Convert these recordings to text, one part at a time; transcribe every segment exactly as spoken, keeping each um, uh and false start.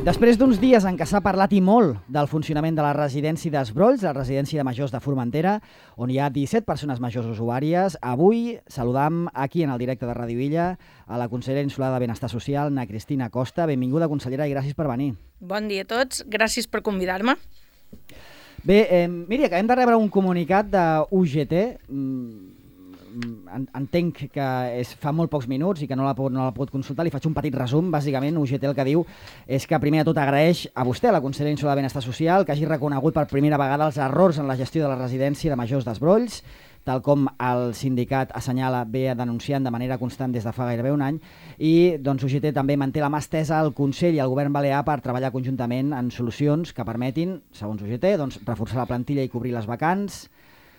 Després d'uns dies en què s'ha parlat i molt del funcionament de la residència d'Esbrolls, la residència de majors de Formentera, on hi ha disset persones majors usuàries, avui saludam aquí en el directe de Ràdio Illa a la consellera insular de Benestar Social, na Cristina Costa. Benvinguda, consellera, i gràcies per venir. Bon dia a tots, gràcies per convidar-me. Bé, eh, miri, acabem de rebre un comunicat de U G T, entenc que és, fa molt pocs minuts i que no la, pot, no la pot consultar, li faig un petit resum. Bàsicament, U G T el que diu és que primer de tot agraeix a vostè, la consellera insular de Benestar Social, que hagi reconegut per primera vegada els errors en la gestió de la residència de majors d'Esbrolls, tal com el sindicat assenyala ve denunciant de manera constant des de fa gairebé un any, i doncs, U G T també manté la mà estesa al Consell i al Govern balear per treballar conjuntament en solucions que permetin, segons U G T, doncs, reforçar la plantilla i cobrir les vacants,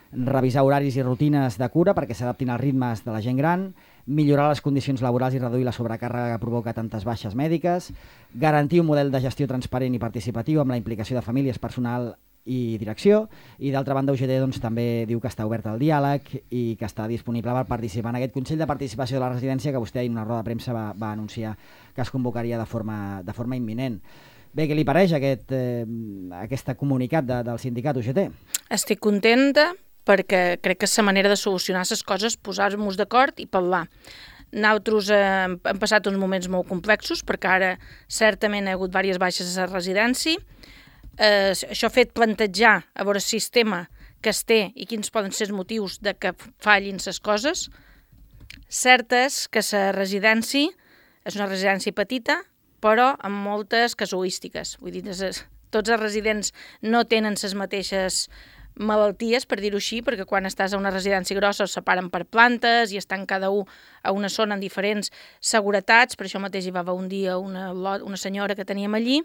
revisar horaris i rutines de cura perquè s'adaptin als ritmes de la gent gran, millorar les condicions laborals i reduir la sobrecàrrega que provoca tantes baixes mèdiques, garantir un model de gestió transparent i participatiu amb la implicació de famílies, personal i direcció, i d'altra banda U G T doncs, també diu que està obert al diàleg i que està disponible per participar en aquest Consell de Participació de la Residència que vostè en una roda de premsa va, va anunciar que es convocaria de forma, de forma imminent. Bé, què li pareix aquest, eh, aquest comunicat de, del sindicat U G T? Estic contenta perquè crec que és la manera de solucionar les coses, posar-nos d'acord i parlar. Nosaltres eh, hem passat uns moments molt complexos perquè ara certament hi ha hagut diverses baixes a la residència. Eh, això ha fet plantejar a veure el sistema que es té i quins poden ser els motius de que fallin les coses. Cert és que la residència és una residència petita, però amb moltes casuístiques. Vull dir, tots els residents no tenen les mateixes malalties, per dir-ho així, perquè quan estàs a una residència grossa es separen per plantes i estan cada un a una zona en diferents seguretats. Per això mateix hi va haver un dia una, una senyora que teníem allí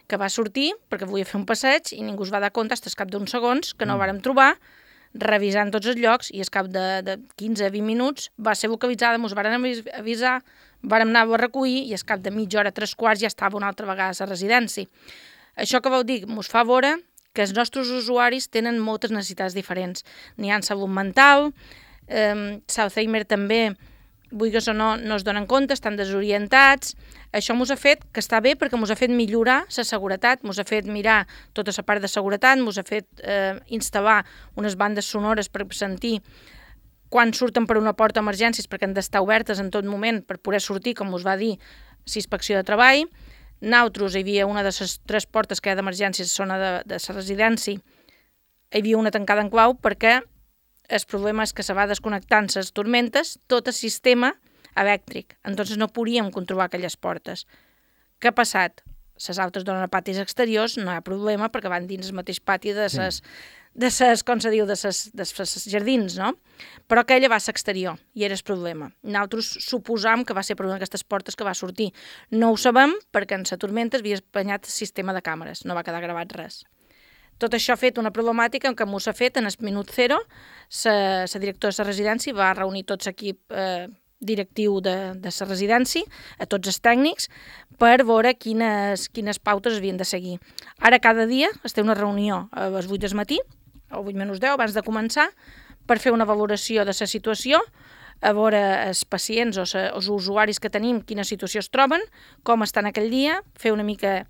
que va sortir perquè volia fer un passeig i ningú es va dar compte fins al cap d'uns segons que no mm. vàrem trobar, revisant tots els llocs, i al cap de, de quinze a vint minuts va ser localitzada, ens varen avisar, vàrem anar a recollir i al cap de mitja hora, tres quarts, ja estava una altra vegada a la residència. Això que vau dir ens fa veure que els nostres usuaris tenen moltes necessitats diferents. N'hi ha en salut mental, eh, Alzheimer també, vulguis o no, no es donen compte, estan desorientats. Això ens ha fet que està bé perquè ens ha fet millorar la seguretat, ens ha fet mirar tota la part de seguretat, ens ha fet eh, instal·lar unes bandes sonores per sentir quan surten per una porta d'emergències, perquè han d'estar obertes en tot moment per poder sortir, com us va dir, la inspecció de treball. Nosaltres hi havia una de les tres portes que hi ha d'emergències, zona de, de la residència, hi havia una tancada en clau perquè el problema és que se va desconnectant les tormentes tot el sistema elèctric, entonces no podíem controlar aquelles portes. Què ha passat? Les altres donen a patis exteriors, no hi ha problema perquè van dins el mateix pati de les, sí. de ses, com se diu, de ses, de ses jardins, no? Però aquella va ser exterior i era el problema. Nosaltres suposam que va ser per una d'aquestes portes que va sortir. No ho sabem perquè en la tormenta havia espanyat el sistema de càmeres, no va quedar gravat res. Tot això ha fet una problemàtica en què m'ho s'ha fet en el minut zero, la directora de la residència va reunir tot l'equip eh, directiu de, de la residència, a tots els tècnics, per veure quines, quines pautes havien de seguir. Ara cada dia es té una reunió a les vuit del matí, o vuit menys deu, abans de començar, per fer una valoració de la situació, a veure els pacients o els usuaris que tenim, quina situació es troben, com estan aquell dia, fer una mica,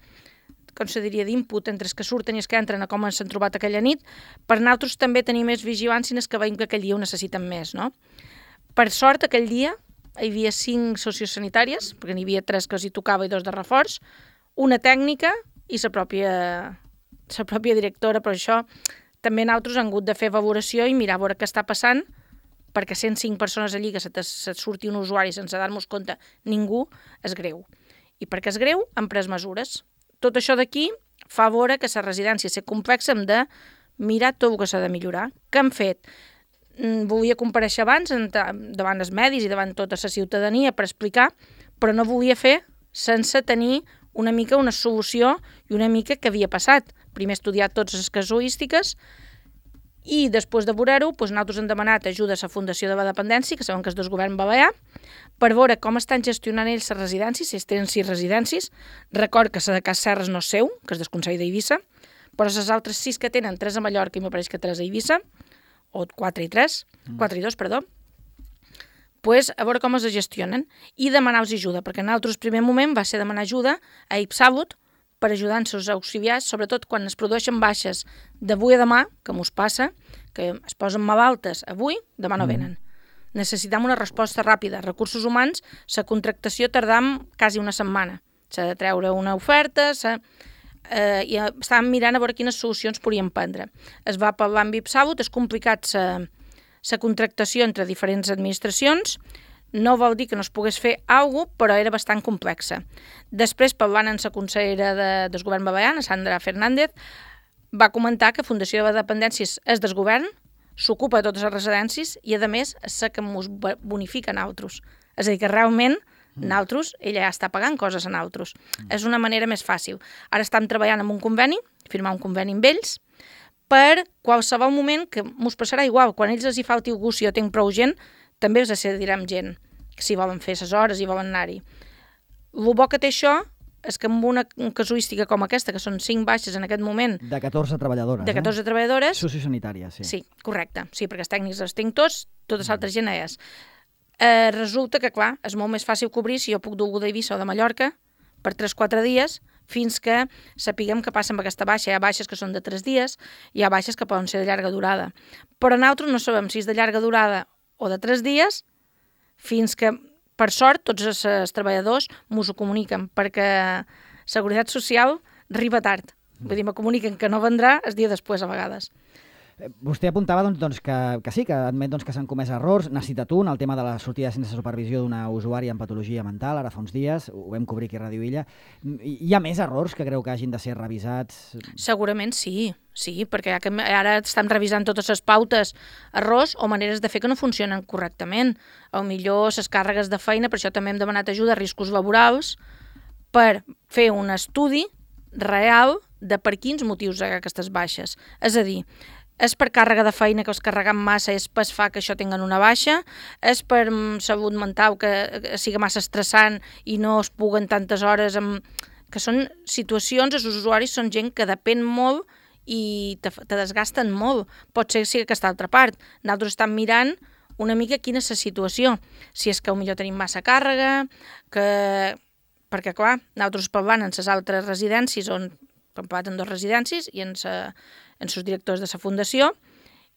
com se diria, d'input entre els que surten i els que entren a com s'han trobat aquella nit, per nosaltres també tenir més vigilància en els que veiem que aquell dia ho necessiten més, no? Per sort, aquell dia hi havia cinc sociosanitàries, perquè n'hi havia tres que els hi tocava i dos de reforç, una tècnica i la pròpia, la pròpia directora, però això també nosaltres hem hagut de fer valoració i mirar a veure què està passant, perquè cent cinc persones allí que se, se surti un usuari sense dar-nos compte ningú, és greu. I perquè és greu, hem pres mesures. Tot això d'aquí fa veure que la residència és complexa, hem de mirar tot el que s'ha de millorar. Què hem fet? Volia comparèixer abans davant els medis i davant tota la ciutadania per explicar, però no volia fer sense tenir una mica una solució i una mica què havia passat. Primer estudiar totes les casuístiques i després de veure-ho, doncs nosaltres hem demanat ajuda a la Fundació de la Dependència, que sabem que és del govern balear, per veure com estan gestionant ells les residències, si ells tenen sis residències. Record que la de Cas Serres no és seu, que és del Consell d'Eivissa, però les altres sis que tenen, tres a Mallorca i m'ho pareix que tres a Eivissa, o quatre i tres, quatre i dos, perdó, pues, a veure com es gestionen i demanar-los ajuda, perquè en nosaltres primer moment va ser demanar ajuda a Ipsalut per ajudar els seus auxiliars, sobretot quan es produeixen baixes d'avui a demà, que mos passa, que es posen malaltes avui, demà no venen. Mm. Necessitem una resposta ràpida. Recursos humans, la contractació tardam quasi una setmana. S'ha de treure una oferta, s'ha... Eh, i estàvem mirant a veure quines solucions podíem prendre. Es va parlar amb IPSABUT, és complicat la contractació entre diferents administracions, no vol dir que no es pogués fer alguna cosa, però era bastant complexa. Després, parlant amb la consellera de, del govern balear, Sandra Fernández, va comentar que Fundació de Dependències és del govern, s'ocupa de totes les residències i, a més, és la que ens bonifica a nosaltres. És a dir, que realment nosaltres, ella ja està pagant coses a nosaltres. Mm. És una manera més fàcil. Ara estem treballant amb un conveni, firmar un conveni amb ells, per qualsevol moment que ens passarà igual. Quan ells els hi falti algú, si jo tinc prou gent, també els decidirem gent, que si volen fer les hores i volen anar-hi. El bo que té això és que amb una casuística com aquesta, que són cinc baixes en aquest moment... De catorze treballadores, De catorze eh? treballadores... Sociosanitàries, sí. Sí, correcte. Sí, perquè els tècnics els tinc tots, totes altres gent és. Eh, resulta que, clar, és molt més fàcil cobrir si jo puc dur algú d'Eivissa o de Mallorca per tres o quatre dies fins que sapiguem què passa amb aquesta baixa. Hi ha baixes que són de tres dies, hi ha baixes que poden ser de llarga durada. Però nosaltres no sabem si és de llarga durada o de tres dies fins que, per sort, tots els, els treballadors mos ho comuniquen, perquè Seguretat Social arriba tard. Vull dir, me comuniquen que no vendrà el dia després, a vegades. Vostè apuntava doncs, doncs, que, que sí, que admet doncs, que s'han comès errors. N'ha citat un, el tema de la sortida sense supervisió d'una usuària amb patologia mental, ara fa uns dies, ho vam cobrir aquí a Ràdio Illa. Hi ha més errors que creu que hagin de ser revisats? Segurament sí, sí, perquè ara estem revisant totes les pautes, errors o maneres de fer que no funcionen correctament. O millor les càrregues de feina, per això també hem demanat ajuda a riscos laborals, per fer un estudi real de per quins motius hi ha aquestes baixes. És a dir, és per càrrega de feina que els carregam massa, és per fa que això tinguen una baixa, és per salut mental que sigui massa estressant i no es puguen tantes hores, amb... que són situacions, els usuaris són gent que depèn molt i te, te desgasten molt. Pot ser que sigui aquesta altra part. Nosaltres estem mirant una mica quina és la situació. Si és que potser tenim massa càrrega, que... perquè clar, nosaltres parlant en les altres residències, on hem parlat en dues residències i en sa... en els directors de la fundació,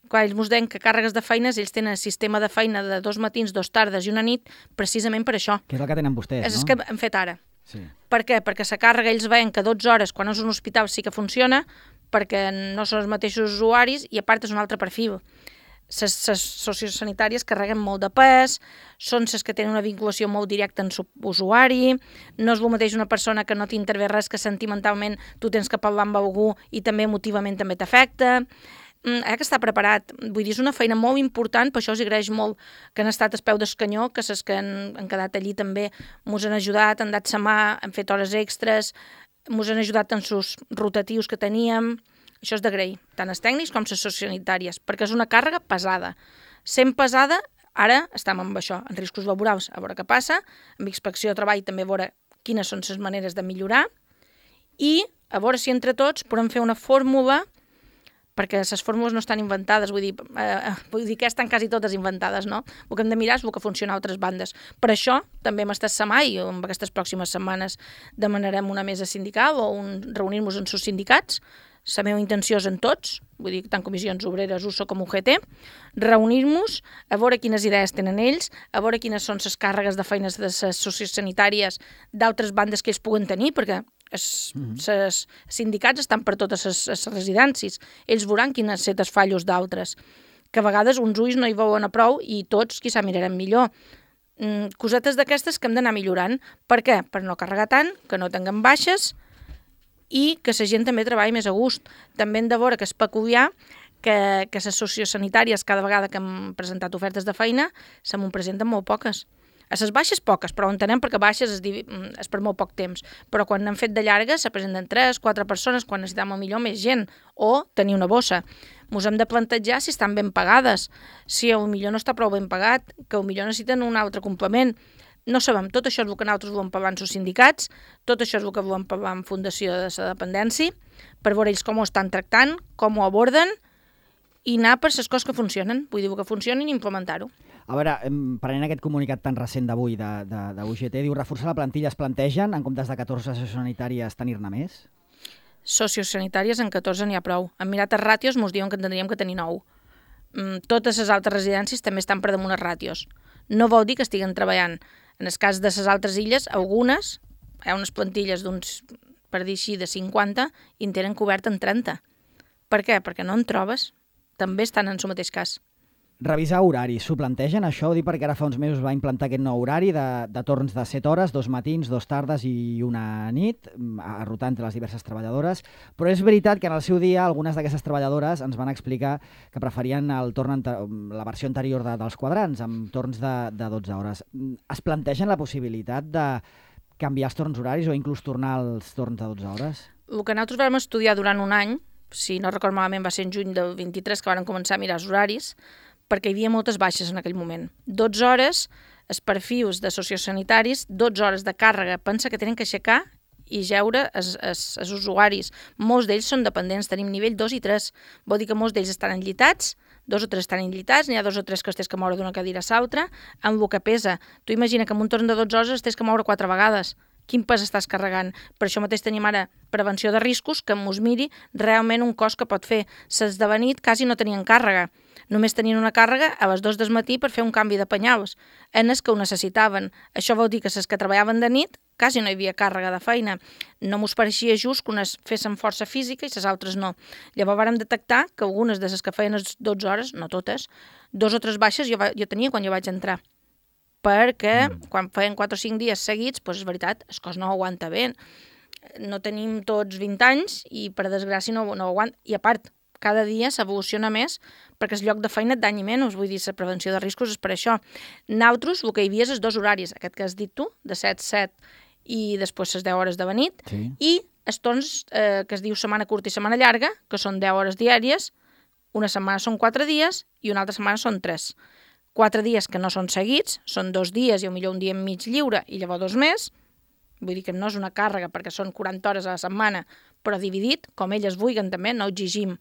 quan ells ens deien que càrregues de feines, ells tenen el sistema de feina de dos matins, dos tardes i una nit, precisament per això. Que és el que tenen vostès, és no? És que hem fet ara. Sí. Per què? Perquè la càrrega ells veien que dotze hores, quan és un hospital sí que funciona, perquè no són els mateixos usuaris i a part és un altre perfil. Les sociosanitàries carreguen molt de pes, són les que tenen una vinculació molt directa amb l'usuari, no és el mateix una persona que no t'intervé res, que sentimentalment tu tens que parlar amb algú i també emotivament també t'afecta. Ha que estar preparat. Vull dir, és una feina molt important, per això us agraeix molt que han estat al peu del canyó, que les que han, han quedat allí també ens han ajudat, han dat sa mà, han fet hores extres, ens han ajudat en els rotatius que teníem. Això és d'agrair, tant els tècnics com les sociosanitàries, perquè és una càrrega pesada. Sent pesada, ara estem amb això, en riscos laborals, a veure què passa, amb inspecció de treball també a veure quines són les maneres de millorar i a veure si entre tots podem fer una fórmula, perquè les fórmules no estan inventades, vull dir, eh, vull dir que estan quasi totes inventades, no? El que hem de mirar és el que funciona a altres bandes. Per això també hem estat setmana i en aquestes pròximes setmanes demanarem una mesa sindical o un, reunir-nos en els sindicats. La meva intenció és en tots, vull dir, tant comissions obreres, U S O com U G T, reunir-nos, a veure quines idees tenen ells, a veure quines són les càrregues de feines de les sociosanitàries d'altres bandes que ells puguen tenir, perquè els mm-hmm. sindicats estan per totes les, les residències. Ells veuran quines setes fallos d'altres, que a vegades uns ulls no hi veuen a prou i tots quizà mirarem millor. Mm, cosetes d'aquestes que hem d'anar millorant. Per què? Per no carregar tant, que no tinguem baixes, i que la gent també treballi més a gust. També hem de veure que és peculiar que, que les sociosanitàries, cada vegada que hem presentat ofertes de feina, se m'ho presenten molt poques. A les baixes poques, però entenem perquè baixes és, és per molt poc temps. Però quan n'hem fet de llargues se presenten tres, quatre persones, quan necessitem millor més gent, o tenir una bossa. Ens hem de plantejar si estan ben pagades, si potser no està prou ben pagat, que potser necessiten un altre complement. No sabem, tot això és el que nosaltres volem parlar amb els sindicats, tot això és el que volem parlar amb Fundació de la Dependència, per veure ells com ho estan tractant, com ho aborden, i anar per les coses que funcionen, vull dir que funcionin i implementar-ho. A veure, prenent aquest comunicat tan recent d'avui de, de, de U G T, diu reforçar la plantilla, es plantegen, en comptes de catorze sociosanitàries, tenir-ne més? Sociosanitàries en catorze n'hi ha prou. En mirat els ràtios mos diuen que en tindríem que tenir nou. Totes les altres residències també estan per damunt els ràtios. No vol dir que estiguen treballant. En el cas de les altres illes, algunes, hi ha unes plantilles d'uns, per dir així, de cinquanta, i en tenen cobert en trenta. Per què? Perquè no en trobes. També estan en el mateix cas. Revisar horaris. S'ho plantegen, això? Ho dic perquè ara fa uns mesos va implantar aquest nou horari de, de torns de set hores, dos matins, dos tardes i una nit, a rotar entre les diverses treballadores. Però és veritat que en el seu dia algunes d'aquestes treballadores ens van explicar que preferien el torn la versió anterior de, dels quadrants, amb torns de, de dotze hores. Es plantegen la possibilitat de canviar els torns horaris o inclús tornar als torns de dotze hores? El que nosaltres vam estudiar durant un any, si no recordo malament va ser en juny del vint-i-tres que van començar a mirar els horaris, perquè hi havia moltes baixes en aquell moment. dotze hores, els perfils de sociosanitaris, dotze hores de càrrega, pensa que tenen que aixecar i jeure els, els, els usuaris. Molts d'ells són dependents, tenim nivell dos i tres, vol dir que molts d'ells estan enllitats, dos o tres estan enllitats, n'hi ha dos o tres que es tens que moure d'una cadira a l'altra, amb el que pesa. Tu imagina que en un torn de dotze hores es tens que moure quatre vegades. Quin pes estàs carregant? Per això mateix tenim ara prevenció de riscos, que mos miri realment un cos que pot fer. Les de nit quasi no tenien càrrega. Només tenien una càrrega a les dues del matí per fer un canvi de penyals, en els que ho necessitaven. Això vol dir que les que treballaven de nit quasi no hi havia càrrega de feina. No mos pareixia just que unes fessin força física i les altres no. Llavors vàrem detectar que algunes de les que feien les dotze hores, no totes, dos o tres baixes jo, va, jo tenia quan jo vaig entrar. Perquè mm. quan feien quatre o cinc dies seguits, doncs és veritat, el cos no ho aguanta bé. No tenim tots vint anys i per desgràcia no, no ho aguanta. I a part, cada dia s'evoluciona més perquè el lloc de feina et danyi menys, vull dir, la prevenció de riscos és per això. Nosaltres el que hi havia és els dos horaris, aquest que has dit tu, de set a set i després les deu hores de nit, sí. I els torns eh, que es diu setmana curta i setmana llarga, que són deu hores diàries, una setmana són quatre dies i una altra setmana són tres. Quatre dies que no són seguits, són dos dies i potser un dia mig lliure i llavors dos més, vull dir que no és una càrrega perquè són quaranta hores a la setmana, però dividit, com elles vulguen també, no exigim.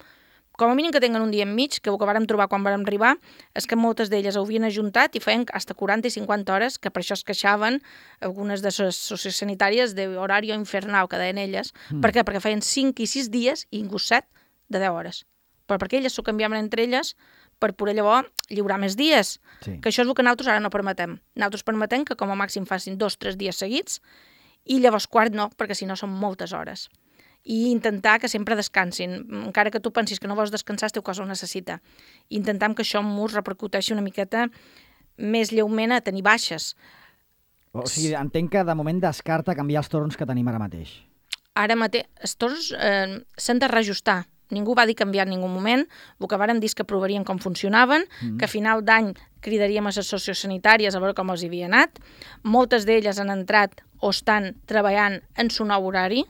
Com a mínim que tinguin un dia enmig, que el que vàrem trobar quan vàrem arribar és que moltes d'elles ho havien ajuntat i feien fins a quaranta i cinquanta hores, que per això es queixaven algunes de les sociosanitàries d'horari infernal, que deien elles. Mm. Per què? Perquè feien cinc i sis dies i inclús set de deu hores. Però perquè elles s'ho canviaven entre elles per poder llavors lliurar més dies. Sí. Que això és el que nosaltres ara no permetem. Nosaltres permetem que com a màxim facin dos o tres dies seguits i llavors quart no, perquè si no són moltes hores. I intentar que sempre descansin. Encara que tu pensis que no vols descansar, el teu cos ho necessita. Intentam que això mos repercuteixi una miqueta més lleument a tenir baixes. O sigui, entenc que de moment descarta canviar els torns que tenim ara mateix. Ara mateix, els torns eh, s'han de reajustar. Ningú va dir canviar en ningú moment. El que vàrem dir és que provarien com funcionaven, mm. que a final d'any cridaríem a les sociosanitàries a veure com els havia anat. Moltes d'elles han entrat o estan treballant en su nou horari.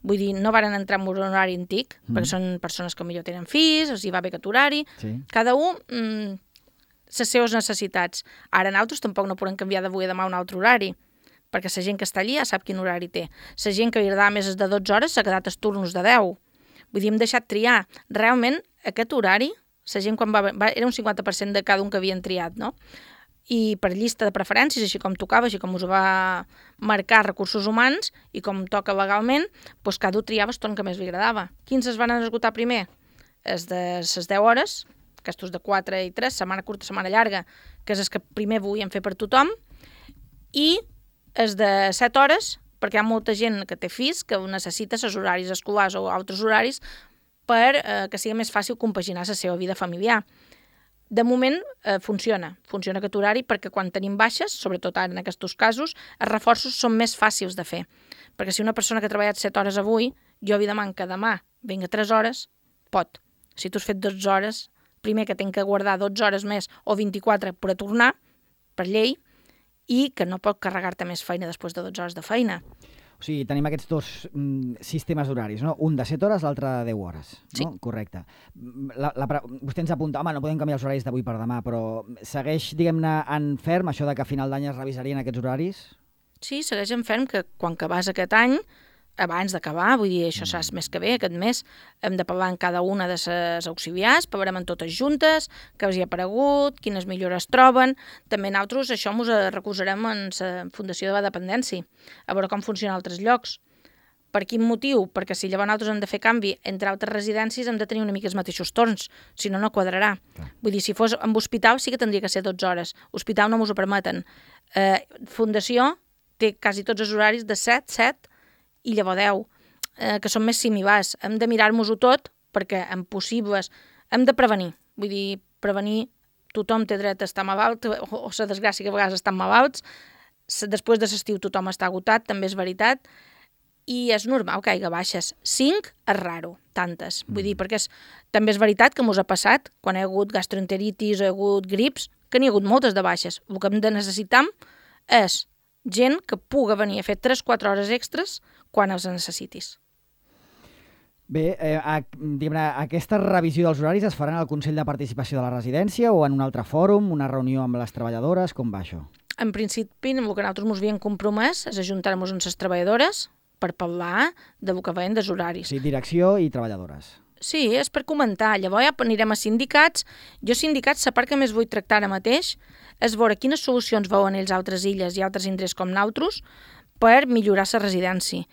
Vull dir, no varen entrar en un horari antic, mm. perquè són persones que millor tenen fills, els hi va bé aquest horari. Sí. Cada un, mm, les seves necessitats. Ara nosaltres tampoc no podem canviar d'avui a demà un altre horari, perquè la gent que està allí ja sap quin horari té. La gent que li agradava més de dotze hores s'ha quedat els turnos de deu. Vull dir, hem deixat triar. Realment, aquest horari, la gent quan va, va era un cinquanta per cent de cada un que havien triat, no? I per llista de preferències, així com tocava, així com us va marcar recursos humans i com toca legalment, doncs cada un triava el torn que més li agradava. Quins es van esgotar primer? Els de les deu hores, aquests de quatre i tres, setmana curta, setmana llarga, que és els que primer volien fer per tothom, i els de set hores, perquè hi ha molta gent que té fills que necessita els horaris escolars o altres horaris per eh, que sigui més fàcil compaginar la seva vida familiar. De moment eh, funciona, funciona aquest horari perquè quan tenim baixes, sobretot ara en aquests casos, els reforços són més fàcils de fer. Perquè si una persona que ha treballat set hores avui, jo li demano que demà vinga tres hores, pot. Si tu has fet dotze hores, primer que tinc que guardar dotze hores més o vint-i-quatre per a tornar, per llei, i que no pot carregar-te més feina després de dotze hores de feina. O sigui, tenim aquests dos mm, sistemes d'horaris, no? Un de set hores, l'altre de deu hores. Sí. No? Correcte. La, la, vostè ens apunta, home, no podem canviar els horaris d'avui per demà, però segueix, diguem-ne, en ferm això de que a final d'any es revisarien aquests horaris? Sí, segueix en ferm que quan acabàs aquest any abans d'acabar, vull dir, això serà més que bé, aquest mes hem de parlar en cada una de les auxiliars, parlarem en totes juntes, què els hi ha aparegut, quines millores troben. També nosaltres això ens recolzarem en la Fundació de la Dependència, a veure com funciona a altres llocs. Per quin motiu? Perquè si llavors nosaltres hem de fer canvi entre altres residències hem de tenir una mica els mateixos torns, si no, no quadrarà. Clar. Vull dir, si fos en hospital sí que tindria que ser dotze hores. Hospital no ens ho permeten. Eh, Fundació té quasi tots els horaris de set, set i llavors deu, eh, que són més similars. Hem de mirar-nos-ho tot perquè en possibles hem de prevenir. Vull dir, prevenir, tothom té dret a estar malalt, o, o la desgràcia que a vegades estan malalts. Després de l'estiu tothom està agotat, també és veritat, i és normal que hi hagi baixes. Cinc és raro, tantes. Vull dir, perquè és, també és veritat que mos ha passat, quan hi ha hagut gastroenteritis o hi ha hagut grips, que n'hi ha hagut moltes de baixes. El que hem de necessitar és gent que puga venir a fer tres o quatre hores extres quan els necessitis. Bé, eh, a, diguem, aquesta revisió dels horaris es farà en el Consell de Participació de la Residència o en un altre fòrum, una reunió amb les treballadores? Com va això? En principi, el que nosaltres ens havíem compromès és ajuntar-nos amb les treballadores per parlar del que veiem dels horaris. Sí, direcció i treballadores. Sí, és per comentar. Llavors ja anirem a sindicats. Jo sindicats, la part que més vull tractar ara mateix és veure quines solucions veuen ells a altres illes i altres indrets com nosaltres per millorar la residència.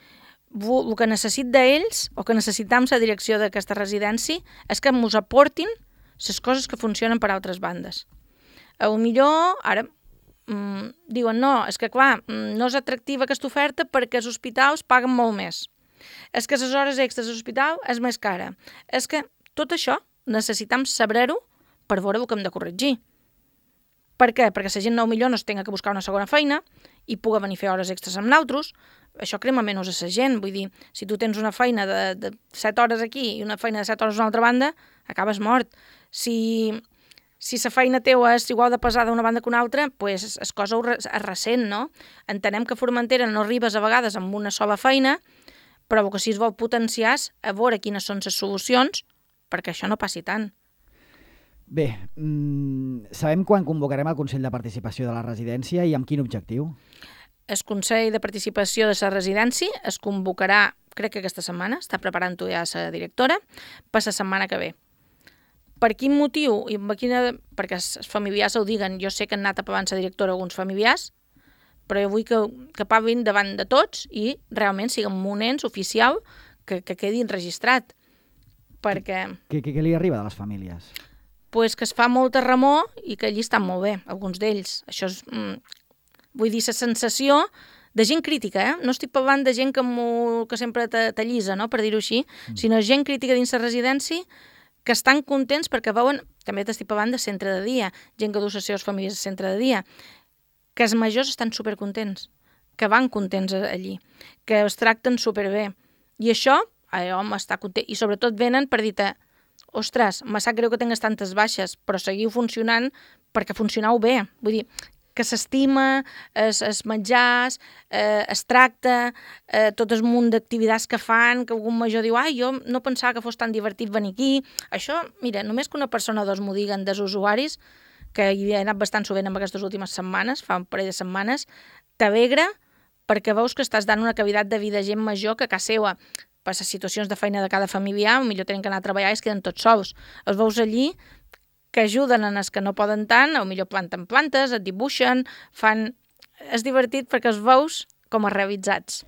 El que necessit d'ells, o que necessitam la direcció d'aquesta residència, és que ens aportin les coses que funcionen per altres bandes. A lo millor, ara, mmm, diuen, no, és que clar, no és atractiva aquesta oferta perquè els hospitals paguen molt més. És que les hores extres de l'hospital és més cara. És que tot això necessitam saber-ho per veure el que hem de corregir. Per què? Perquè la gent no millor no es tenga que buscar una segona feina i puga venir a fer hores extres amb nosaltres. Això crema menys a la gent. Vull dir, si tu tens una feina de, de set hores aquí i una feina de set hores a una altra banda, acabes mort. Si, si la feina teva és igual de pesada d'una banda que una altra, pues és cosa és recent, no? Entenem que a Formentera no arribes a vegades amb una sola feina, però el que sí es vol potenciar és a veure quines són les solucions perquè això no passi tant. Bé, mmm, sabem quan convocarem el Consell de Participació de la Residència i amb quin objectiu? El Consell de Participació de la Residència es convocarà, crec que aquesta setmana, està preparant-ho ja la directora, per la setmana que ve. Per quin motiu? I quina... Perquè els familiars ho diguen. Jo sé que han anat aprovant la directora alguns familiars, però jo vull que, que parlin davant de tots i realment siguin un ens oficial que, que quedi enregistrat. Perquè... Què, què, què li arriba de les famílies? Pues que es fa molta remor i que allí estan molt bé, alguns d'ells. Això és, mm, vull dir, la sensació de gent crítica, eh? No estic parlant de gent que, que sempre t'allisa, no?, per dir-ho així, mm. sinó gent crítica dins la residència que estan contents perquè veuen, també t'estic parlant de centre de dia, gent que du les seves famílies a centre de dia, que els majors estan supercontents, que van contents allí, que es tracten superbé. I això, allò m'està content. I sobretot venen per dir-te, ostres, me sap greu que tingues tantes baixes, però seguiu funcionant perquè funcioneu bé. Vull dir, que s'estima, es, es menjars, eh, es tracta, eh, tot el munt d'activitats que fan, que algun major diu, ai, jo no pensava que fos tan divertit venir aquí. Això, mira, només que una persona o dos m'ho diguen dels usuaris, que hi he anat bastant sovint en aquestes últimes setmanes, fa un parell de setmanes, t'alegra perquè veus que estàs dant una qualitat de vida a gent major que a casa seva, per les situacions de feina de cada familiar, millor tenen que anar a treballar i es queden tots sols. Els veus allí que ajuden en els que no poden tant, o millor planten plantes, et dibuixen, fan... És divertit perquè els veus com a realitzats.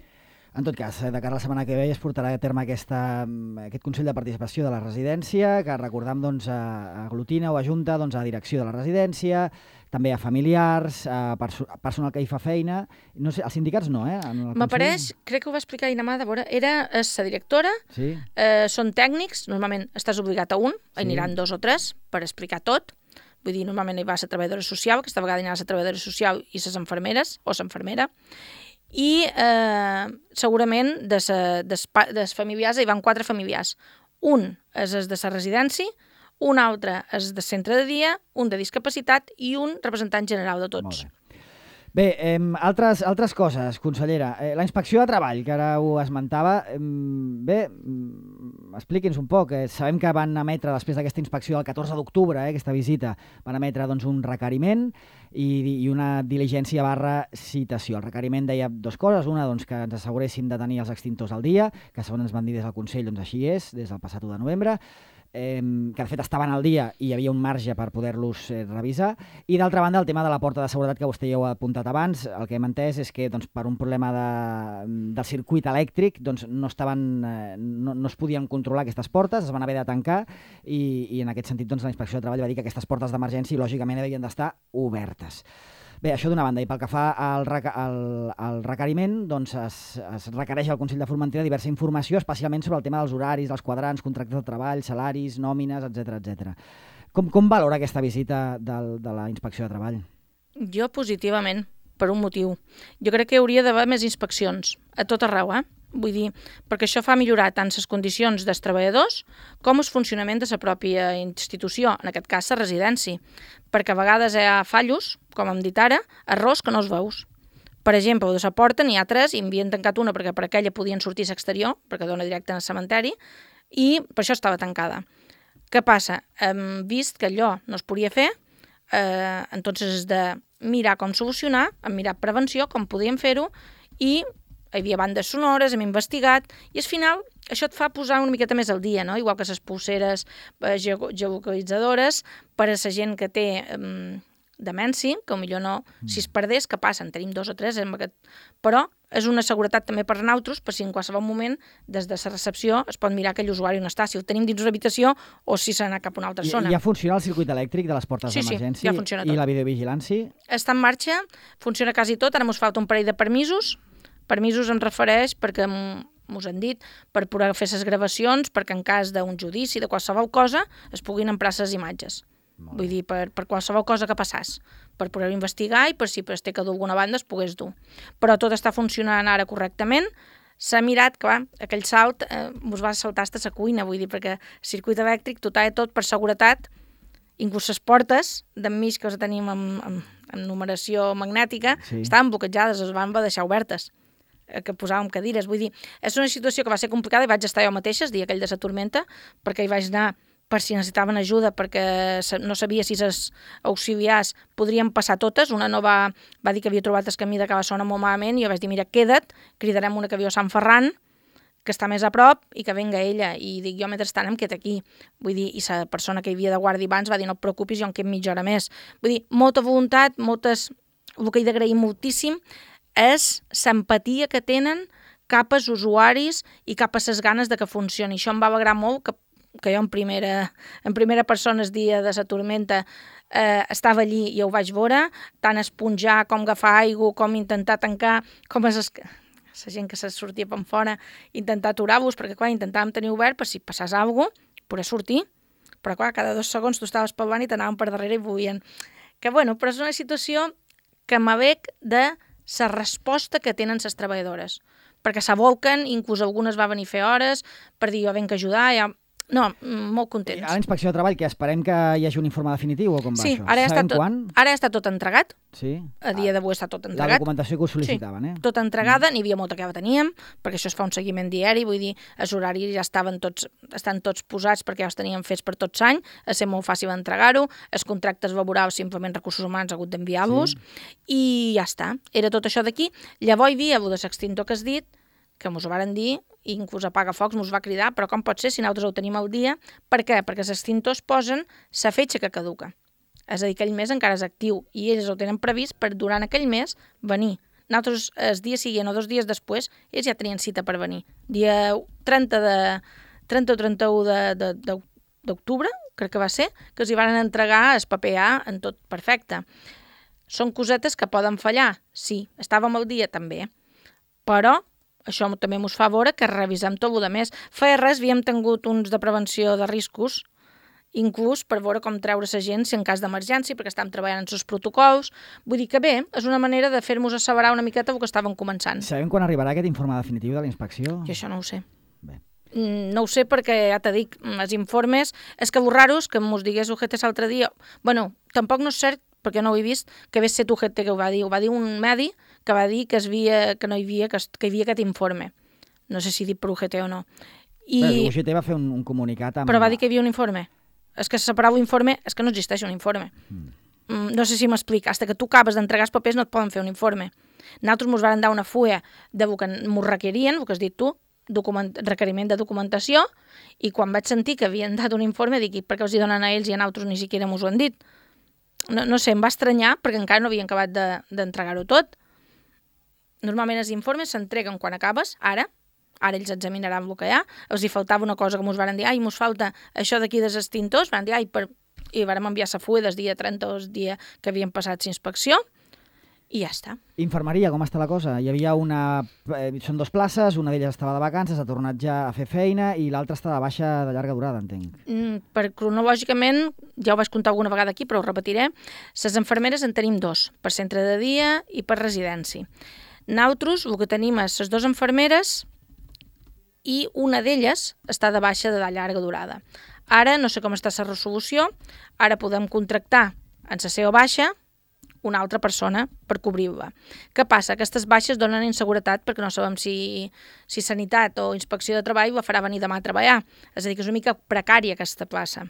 En tot cas, de cara a la setmana que ve es portarà a terme aquesta, aquest Consell de Participació de la Residència, que recordam doncs, aglutina o ajunta doncs, a direcció de la residència, també a familiars, a perso personal que hi fa feina. No sé, els sindicats no, eh? M'apareix, crec que ho va explicar Inamà, de veure, era la directora, sí. eh, són tècnics, normalment estàs obligat a un, sí. Aniran dos o tres per explicar tot. Vull dir, normalment hi va la treballadora social, aquesta vegada hi ha la treballadora social i les infermeres, o l'infermera, i eh, segurament de les familiars hi van quatre familiars. Un és el de la residència, un altre és de centre de dia, un de discapacitat i un representant general de tots. Molt bé. Bé, eh, altres, altres coses, consellera. Eh, la inspecció de treball, que ara ho esmentava, eh, bé, expliqui'ns un poc. Eh, sabem que van emetre, després d'aquesta inspecció del catorze d'octubre, eh, aquesta visita, van emetre doncs, un requeriment i, i una diligència barra citació. El requeriment deia dues coses. Una, doncs, que ens asseguressin de tenir els extintors al dia, que segons ens van dir des del Consell, doncs així és, des del passat u de novembre, Eh, que de fet estaven al dia i hi havia un marge per poder-los eh, revisar. I d'altra banda, el tema de la porta de seguretat que vostè ja ho ha apuntat abans, el que hem entès és que doncs, per un problema de, del circuit elèctric doncs, no, estaven, eh, no, no es podien controlar aquestes portes, es van haver de tancar i, i en aquest sentit doncs, la Inspecció de Treball va dir que aquestes portes d'emergència lògicament havien d'estar obertes. Bé, això d'una banda, i pel que fa al, al, al requeriment, doncs es, es requereix al Consell de Formentera diversa informació, especialment sobre el tema dels horaris, dels quadrants, contractes de treball, salaris, nòmines, etcètera etcètera. Com, com valora aquesta visita del, de la Inspecció de Treball? Jo positivament, per un motiu. Jo crec que hi hauria d'haver més inspeccions, a tot arreu, eh? Vull dir, perquè això fa millorar tant les condicions dels treballadors com el funcionament de la pròpia institució, en aquest cas la residència, perquè a vegades hi ha fallos, com hem dit ara, errors que no els veus. Per exemple, de la porta n'hi ha tres i en havien tancat una perquè per aquella podien sortir a l'exterior, perquè dona directe al cementeri, i per això estava tancada. Què passa? Hem vist que allò no es podia fer, eh, entonces és de mirar com solucionar, hem mirat prevenció, com podíem fer-ho, i hi havia bandes sonores, hem investigat, i al final això et fa posar una miqueta més al dia, no? Igual que les pulseres eh, geolocalitzadores per a la gent que té eh, demència, que potser no, mm. si es perdés, que passa? En tenim dos o tres, aquest... però és una seguretat també per nosaltres, per si en qualsevol moment, des de la recepció, es pot mirar que l'usuari no està, si el tenim dins una habitació o si s'ha anat cap a una altra zona. I ja funciona el circuit elèctric de les portes sí, d'emergència? Sí, ja funciona tot. I la videovigilància? Està en marxa, funciona quasi tot, ara ens falta un parell de permisos. Permisos em refereix perquè m'ho han dit, per poder fer les gravacions, perquè en cas d'un judici, de qualsevol cosa, es puguin emprar les imatges. Vull dir, per, per qualsevol cosa que passàs, per poder investigar i per si es té que dur alguna banda es pogués dur. Però tot està funcionant ara correctament. S'ha mirat que, va, aquell salt eh, us va saltar fins a la cuina, vull dir, perquè el circuit elèctric, tot i tot, per seguretat, inclús les portes d'enmig que les tenim amb, amb, amb numeració magnètica, sí. Estaven bloquejades, es van deixar obertes, que posàvem cadires. Vull dir, és una situació que va ser complicada i vaig estar jo mateixa el dia aquell de la tormenta, perquè hi vaig anar per si necessitaven ajuda, perquè no sabia si les auxiliars podrien passar totes. Una no va, va dir que havia trobat el camí de Cabassona molt malament i jo vaig dir, mira, queda't, cridarem una que viu a Sant Ferran, que està més a prop, i que venga ella. I dic, jo mentrestant em quedo aquí. Vull dir, i la persona que hi havia de guàrdia abans va dir, no et preocupis, jo em quedo mitja hora més. Vull dir, molta voluntat, moltes... El que he d'agrair moltíssim és l'empatia que tenen cap als usuaris i cap a les ganes de que funcioni. Això em va alegrar molt, que, que jo en primera, en primera persona el dia de la tormenta eh, estava allí i ho vaig veure, tant esponjar com agafar aigua, com intentar tancar, com és es... la gent que se sortia per fora, intentar aturar-vos, perquè clar, intentàvem tenir obert per si passàs alguna cosa, poder sortir, però clar, cada dos segons tu estaves pel davant i t'anaven per darrere i volien. Que bueno, però és una situació que m'avec de la resposta que tenen les treballadores, perquè s'abolquen, inclús algunes va venir a fer hores per dir jo venc a ajudar, ja... No, molt contents. A la Inspecció de Treball, que esperem que hi hagi un informe definitiu o com va sí, això? Ara ja, està tot, quan? ara ja està tot entregat. Sí. A dia d'avui està tot entregat. La documentació que us sol·licitaven, sí, eh? Tot entregada, mm. N'hi havia molta que ja teníem, perquè això es fa un seguiment diari, vull dir, els horaris ja estaven tots, estan tots posats perquè ja els teníem fets per tots l'any, ha ser molt fàcil entregar-ho, els contractes laborals simplement recursos humans ha hagut d'enviar-los, sí. I ja està. Era tot això d'aquí. Llavors hi havia el de l'extintor que has dit, que mos ho varen dir, i inclús Apagafocs mos va cridar, però com pot ser si nosaltres ho tenim al dia? Per què? Perquè els extintors posen la fetge que caduca. És a dir, aquell mes encara és actiu i ells ho tenen previst per durant aquell mes venir. Nosaltres el dia següent o dos dies després ells ja tenien cita per venir. Dia trenta, de, trenta o trenta-u d'octubre, crec que va ser, que els hi van entregar el paper A en tot perfecte. Són cosetes que poden fallar? Sí. Estàvem al dia? També. Però això també ens fa veure que revisem tot el més. Feia res, havíem tingut uns de prevenció de riscos, inclús per veure com treure la gent si en cas d'emergència, perquè estàvem treballant en els protocols. Vull dir que bé, és una manera de fer-nos asseverar una miqueta el que estàvem començant. Sabem quan arribarà aquest informe definitiu de la inspecció? Jo això no ho sé. Bé. No ho sé perquè, ja t'he dit, els informes, és que borraros, que mos digués U G T l'altre dia, bueno, tampoc no és cert, perquè no ho he vist, que hagués set U G T que ho va dir. Ho va dir un medi que va dir que, es via, que no hi havia, que, es, que hi havia aquest informe. No sé si dit per U G T o no. I... Bé, U G T va fer un, un comunicat amb... Però va dir que hi havia un informe. És que separar l'informe, és que no existeix un informe. Mm. No sé si m'explica. Hasta que tu acabes d'entregar els papers no et poden fer un informe. Nosaltres ens van dar una fulla de que ens requerien, el que has dit tu, document, requeriment de documentació, i quan vaig sentir que havien dat un informe dic, per què els hi donen a ells i a nosaltres ni siquiera m'ho han dit? No, no sé, em va estranyar perquè encara no havien acabat d'entregar-ho de, tot. Normalment els informes s'entreguen quan acabes, ara, ara ells examinaran el que hi ha, els hi faltava una cosa que ens van dir, ai, ens falta això d'aquí dels extintors, van dir, ai, per... i vam enviar la fulla des dia trenta o el dia que havien passat l'inspecció, i ja està. Infermeria, com està la cosa? Hi havia una... Eh, són dues places, una d'elles estava de vacances, ha tornat ja a fer feina, i l'altra està de baixa de llarga durada, entenc. Mm, per cronològicament, ja ho vaig contar alguna vegada aquí, però ho repetiré, les infermeres en tenim dos, per centre de dia i per residència. Nosaltres, el que tenim és les dues infermeres i una d'elles està de baixa de llarga durada. Ara, no sé com està la resolució, ara podem contractar en la seva baixa una altra persona per cobrir-la. Què passa? Aquestes baixes donen inseguretat perquè no sabem si, si Sanitat o Inspecció de Treball la farà venir demà a treballar. És a dir, que és una mica precària aquesta plaça.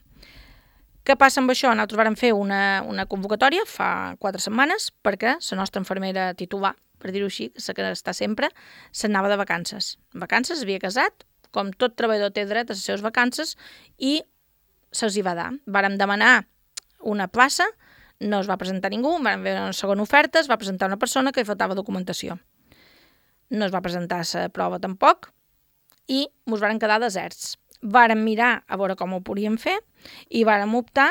Què passa amb això? Nosaltres vam fer una, una convocatòria fa quatre setmanes perquè la nostra infermera titular, per dir-ho així, la que està sempre, s'anava de vacances. En vacances havia casat, com tot treballador té dret a les seves vacances, i se'ls hi va dar. Vàrem demanar una plaça, no es va presentar ningú, vam veure una segona oferta, es va presentar una persona que hi faltava documentació. No es va presentar la prova tampoc i ens varen quedar deserts. Vàrem mirar a veure com ho podíem fer i vàrem optar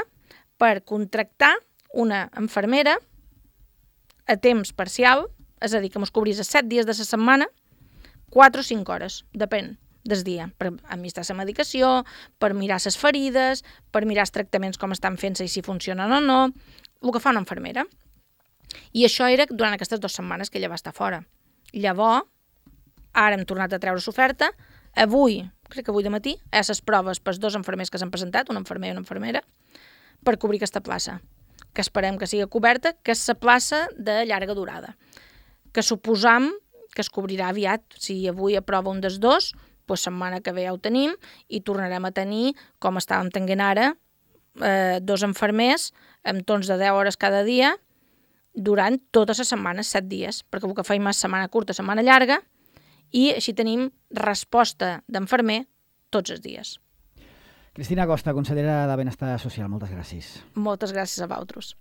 per contractar una infermera a temps parcial, és a dir, que ens cobrís els set dies de la setmana, quatre o cinc hores, depèn del dia, per administrar la medicació, per mirar les ferides, per mirar els tractaments com estan fent-se i si funcionen o no, el que fa una infermera. I això era durant aquestes dues setmanes que ella va estar fora. Llavors, ara hem tornat a treure l'oferta, avui, crec que avui de matí, hi ha les proves pels dos infermers que s'han presentat, una infermera i una infermera, per cobrir aquesta plaça, que esperem que sigui coberta, que és la plaça de llarga durada, que suposam que es cobrirà aviat. Si avui aprova un dels dos, doncs setmana que ve ja ho tenim i tornarem a tenir, com estàvem tenint ara, eh, dos infermers amb torns de deu hores cada dia durant totes les setmanes, set dies, perquè el que feim és setmana curta, setmana llarga, i així tenim resposta d'infermer tots els dies. Cristina Costa, consellera de Benestar Social, moltes gràcies. Moltes gràcies a vosaltres.